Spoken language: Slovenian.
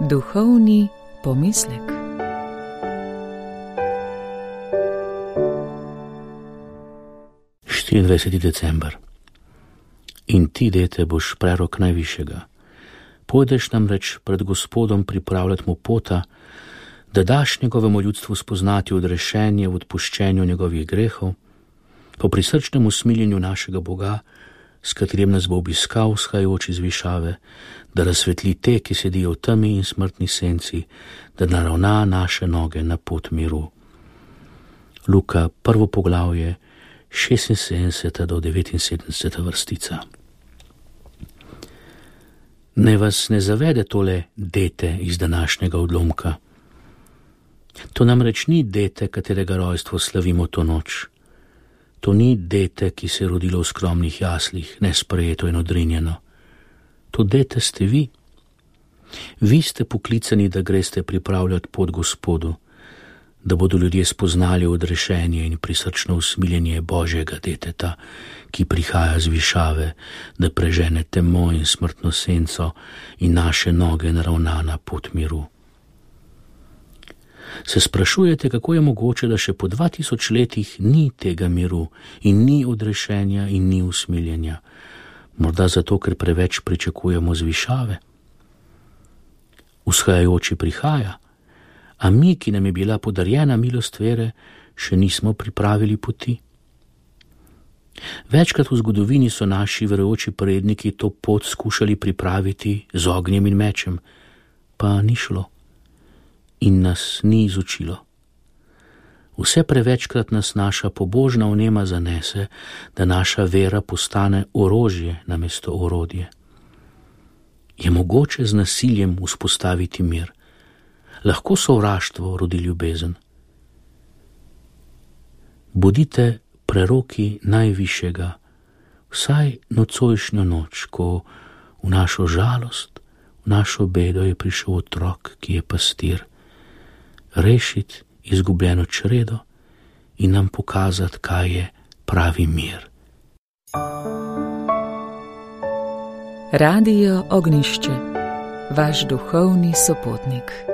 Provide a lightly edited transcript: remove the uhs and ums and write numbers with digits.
Duhovni pomislek. December. In ti, dete, boš prerok najvišjega. Pojdeš namreč pred Gospodom pripravljati mu pota, da daš njegovemu ljudstvu spoznati odrešenje v odpuščenju njegovih grehov, po prisrčnem usmiljenju našega Boga, s katerim nas bo obiskal vzhajajoč iz višave, da razsvetli te, ki sedijo v temi in smrtni senci, da naravna naše noge na pot miru. Luka, 1. poglavje, 76. do 79. vrstica. Ne vas ne zavede tole dete iz današnjega odlomka. To namreč ni dete, katerega rojstvo slavimo to noč. To ni dete, ki se je rodilo v skromnih jaslih, nesprejeto in odrinjeno. To dete ste vi. Vi ste poklicani, da greste pripravljati pot Gospodu, da bodo ljudje spoznali odrešenje in prisrčno usmiljenje Božjega deteta, ki prihaja z višave, da prežene temo in smrtno senco in naše noge naravna na pot miru. Se sprašujete, kako je mogoče, da še po 2000 letih ni tega miru in ni odrešenja in ni usmiljenja? Morda zato, ker preveč pričakujemo z višave? Vzhajajoči prihaja, a mi, ki nam je bila podarjena milost vere, še nismo pripravili poti. Večkrat v zgodovini so naši verujoči predniki to pot skušali pripraviti z ognjem in mečem, pa ni šlo in nas ni izučilo. Vse prevečkrat nas naša pobožna vnema zanese, da naša vera postane orožje namesto orodje. Je mogoče z nasiljem vzpostaviti mir? Lahko sovraštvo rodi ljubezen? Bodite preroki najvišjega, vsaj nocojšnjo noč, ko v našo žalost, v našo bedo je prišel otrok, ki je pastir, rešiti izgubljeno čredo in nam pokazati, kaj je pravi mir. Radio Ognjišče, vaš duhovni sopotnik.